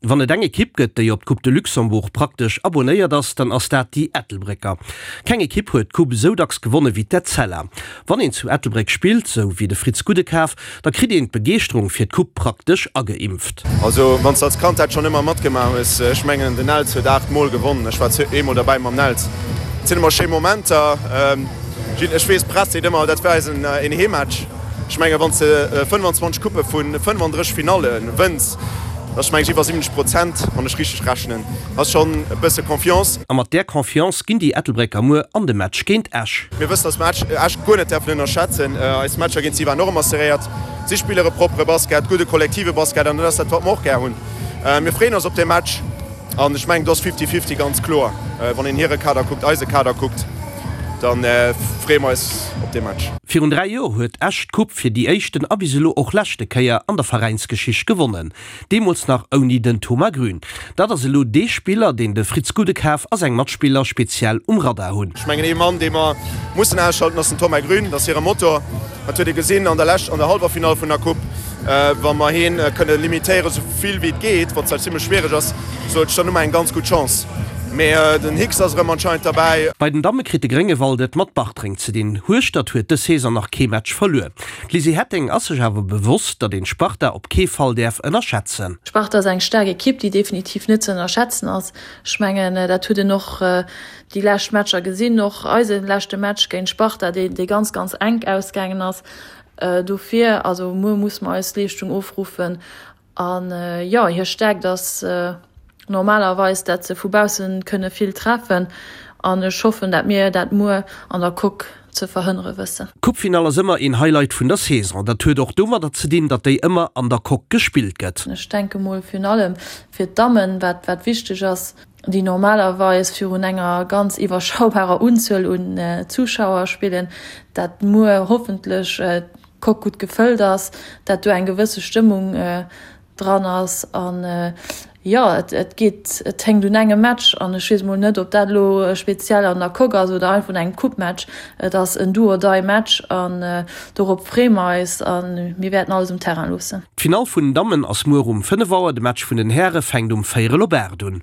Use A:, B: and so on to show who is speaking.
A: Wann et eng Ekipp gëtt, déi op d'Coupe de Luxembourg praktesch abonéiert ass, dann ass dat déi Ettelbrécker. Keng Ekipp huet d'Coupe esou dacks gewonne wéi d'Etzella. Wann een zu Ettelbréck spillt, sou wéi de Fritz Gudekaf, da kritt een d'Begeeschterung fir d'Coupe praktesch ageimpft.
B: Also wann s de als Kand dat schonn ëmmer matgemaach hues, ech mengen den Nels huet 8 mol gewonnen, ech war eemol derbäi mam Nels, et sinn ëmmer schéi Momenter. Ech weess d'Press seet ëmmer dat wär eisen een Heemmatch. Ech mengen wann s de 25 Couppe vu 35 Finalle wënns, dat ass meng ech iwwer 70 Prozent, wann ech richteg rechnen, ass schonn e bësse Confiance.
A: A mat där Confiance ginn déi Ettelbrécker muer an de Match géint Esch.
B: Mir wëssen, dass mer Esch guer net däerfen ënnerschätzen. Eis Matcher géint si waren och ëmmer serréiert. Si spille e proppere Basket, gudde kollektive Basket an dat ass dat, wat mer och gär hunn. Mir freeën eis op dee Match an ech mengen, do ass Fifty-Fifty ganz kloer. Wann een hire Kader kuckt, eise Kader kuckt, da freeë mer eis op dee Match.
A: Virun 3 Joer huet Esch d'Coupe fir déi éischten a bis elo och leschte Kéier an der Veräinsgeschicht gewonnen. Deemools nach ouni den Thomas Grün. Dat ass elo dee Spiller, deen de Fritz Gudekaf a seng Matspiller speziell um Radar hunn.
B: Ech mengen ee Mann, dee mer mussen ausschalten, ass den Thomas Grün. Dat ass hire Motor. Dat huet ee gesinn an der lescht, an der Hallwerfinall vun der Coupe. Wa mer hien kënne limitéieren, esou vill wéi et geet, wat zwar zimlech schwiereg ass, sou ech, dann hu mer eng ganz gutt Chance. Mee den Hicks ass erëm anscheinend derbäi.
A: Bei den Damme kritt de Gréngewald et mat Bartreng ze dinn. Hueschtert huet dës Saison nach kee Match verluer. D'Lizzy Hetting ass sech awer bewosst, datt een d'Sparta op kee Fall däerf ënnerschätzen.
C: D'Sparta ass eng staark Ekipp, déi definitiv net ze ënnerschätzen ass. Ech mengen, dat huet een och déi lescht Matcher gesinn, och eise leschte Match géint d'Sparta, dee dee ganz, ganz enk ausgaangen ass. Dofir, also muer musse mer eis Leeschtung ofruffen An jo, hir Stäerkt ass normalerweis, dat se vu bausse kënne vill treffen. An ech hoffen, dat mir dat muer an der Coque ze verhënnere wëssen.
A: D'Coupefinall ass ëmmer een Highlight vun der Saison. Dat huet och domadder ze dinn, datt déi ëmmer an der Coque gespillt gëtt.
C: Ech denke mol virun allem fir d'Dammen, wat wat wichteg ass, déi normalerweis virun enger ganz iwwerschaubarer Unzuel un Zuschauer spillen, dat muer hoffentlech Coque gutt gefëllt ass, dat do eng gewësse Stëmmung dran ass an jo, et geet, et héngt un engem Match an ech weess mol net, ob dat elo speziell an der Coque ass oder einfach un engem Coupe-Match. Et ass en Do-or-die-Match an dorop freeë mer eis a mir wäerten alles um Terrain loossen.
A: D'Finall vun den Dammen ass muer um 5 Auer, de Match vun den Häre fänkt um véierel op 8 un.